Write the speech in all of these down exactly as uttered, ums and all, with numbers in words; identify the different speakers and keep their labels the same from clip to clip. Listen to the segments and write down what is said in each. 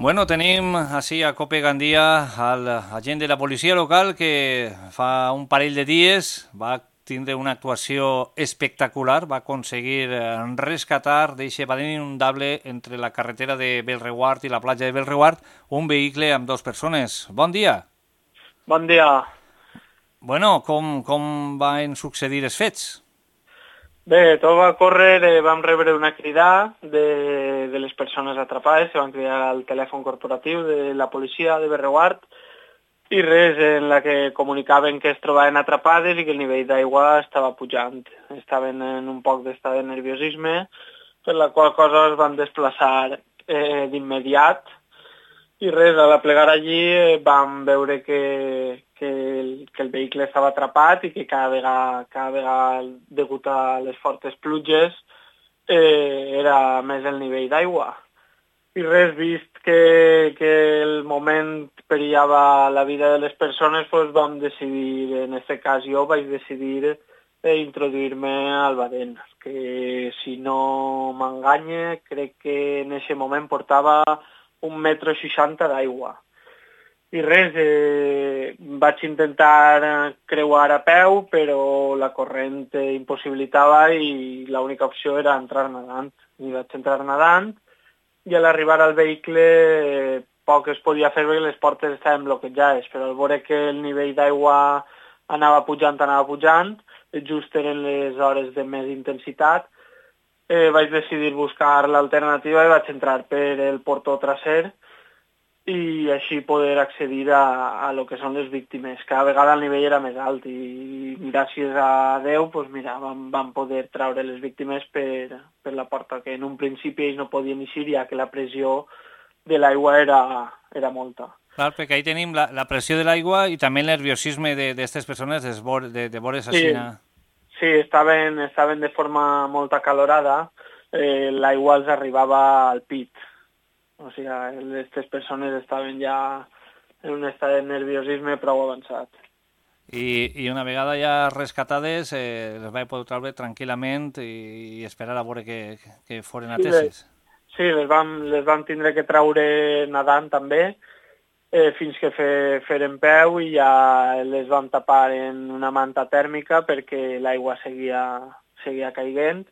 Speaker 1: Bueno, tenim així a Cope Gandia el agent de la policia local que fa un parell de dies va tindre una actuació espectacular, va aconseguir rescatar d'eixe badén inundable entre la carretera de Bellreguard i la platja de Bellreguard un vehicle amb dues persones. Bon dia.
Speaker 2: Bon dia.
Speaker 1: Bueno, com, com van succeir els fets?
Speaker 2: Bé, tot va córrer, eh, vam rebre una crida de, de les persones atrapades, se van cridar al telèfon corporatiu de la policia de Bellreguard i res, en la que comunicaven que es trobaven atrapades i que el nivell d'aigua estava pujant. Estaven en un poc d'estat de nerviosisme, per la qual cosa es van desplaçar eh, d'immediat i res, a la plegar allí eh, vam veure que, que, el, que el vehicle estava atrapat i que cada vegada, cada vegada degut a les fortes pluges eh, era més el nivell d'aigua. I res, vist que, que el moment perillava la vida de les persones, doncs vam decidir, en aquest cas jo vaig decidir eh, introduir-me al badén, que si no m'enganye, crec que en aquest moment portava un metro seixanta d'aigua. I res, eh, vaig intentar creuar a peu, però la corrent eh, impossibilitava i l'única opció era entrar nedant. I vaig entrar nedant i a l'arribar al vehicle eh, poc es podia fer perquè les portes estaven bloquejades, però al veure que el nivell d'aigua anava pujant, anava pujant, just eren les hores de més intensitat, Eh, vaig decidir buscar l'alternativa i vaig entrar per el portó traser i així poder accedir a, a lo que són les víctimes. Cada vegada el nivell era més alt i gràcies a Déu pues mira, vam, vam poder traure les víctimes per, per la porta, que en un principi ells no podien eixir ja que la pressió de l'aigua era, era molta.
Speaker 1: Clar, perquè ahí tenim la, la pressió de l'aigua i també el nerviosisme d'aquestes persones de, de, de veure's
Speaker 2: Sí.
Speaker 1: així.
Speaker 2: Sí, estaven, estaven de forma molt acalorada, eh, l'aigua els arribava al pit. O sigui, aquestes persones estaven ja en un estat de nerviosisme prou avançat.
Speaker 1: I, i una vegada ja rescatades, eh, les vaig poder treure tranquil·lament i, i esperar a veure que, que foren ateses.
Speaker 2: Sí, les vam, les vam tindre que traure nedant també, Eh, fins que fe, feren peu i ja les vam tapar en una manta tèrmica perquè l'aigua seguia, seguia caiguent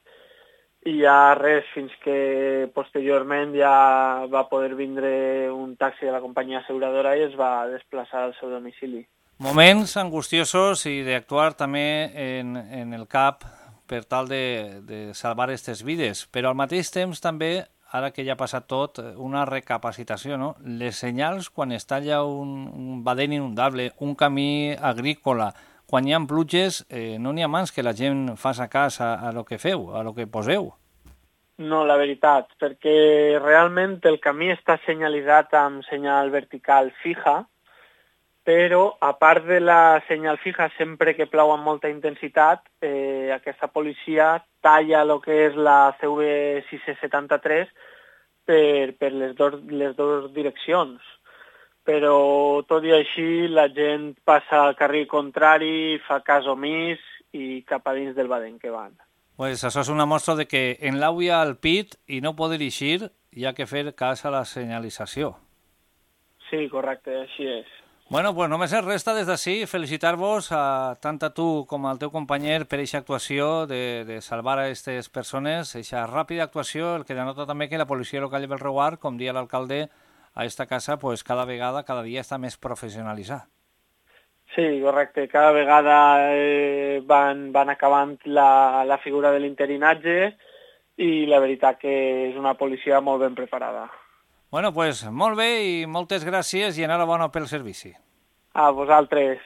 Speaker 2: i ja res, fins que posteriorment ja va poder vindre un taxi de la companyia asseguradora i es va desplaçar al seu domicili.
Speaker 1: Moments angustiosos i d'actuar també en, en el cap per tal de, de salvar aquestes vides, però al mateix temps també ara que ja ha passat tot, una recapacitació, no? Les senyals, quan està allà un, un badén inundable, un camí agrícola, quan hi ha pluges, eh, no n'hi ha mans que la gent faci cas a, a lo que feu, a lo que poseu.
Speaker 2: No, la veritat, perquè realment el camí està senyalitzat amb senyal vertical fija, però a part de la senyal fija, sempre que plou amb molta intensitat, eh, aquesta policia talla el que és la C V sis setanta-tres per, per les, dos, les dues direccions. Però tot i així la gent passa al carril contrari, fa cas omís i cap a dins del badén que van.
Speaker 1: Pues això és una mostra de que en l'auia al pit i no poder eixir hi ha que fer cas a la senyalització.
Speaker 2: Sí, correcte, així és.
Speaker 1: Bueno, pues només ens resta des d'ací felicitar-vos a tant a tu com al teu company per aquesta actuació de, de salvar a aquestes persones, aquesta ràpida actuació, el que denota també que la policia local de Bellreguard, com dia l'alcalde, a esta casa pues, cada vegada, cada dia està més professionalitzada.
Speaker 2: Sí, correcte. Cada vegada eh, van, van acabant la, la figura de l'interinatge i la veritat que és una policia molt ben preparada.
Speaker 1: Bueno, pues molt bé i moltes gràcies i enhorabona pel servici.
Speaker 2: A vosaltres.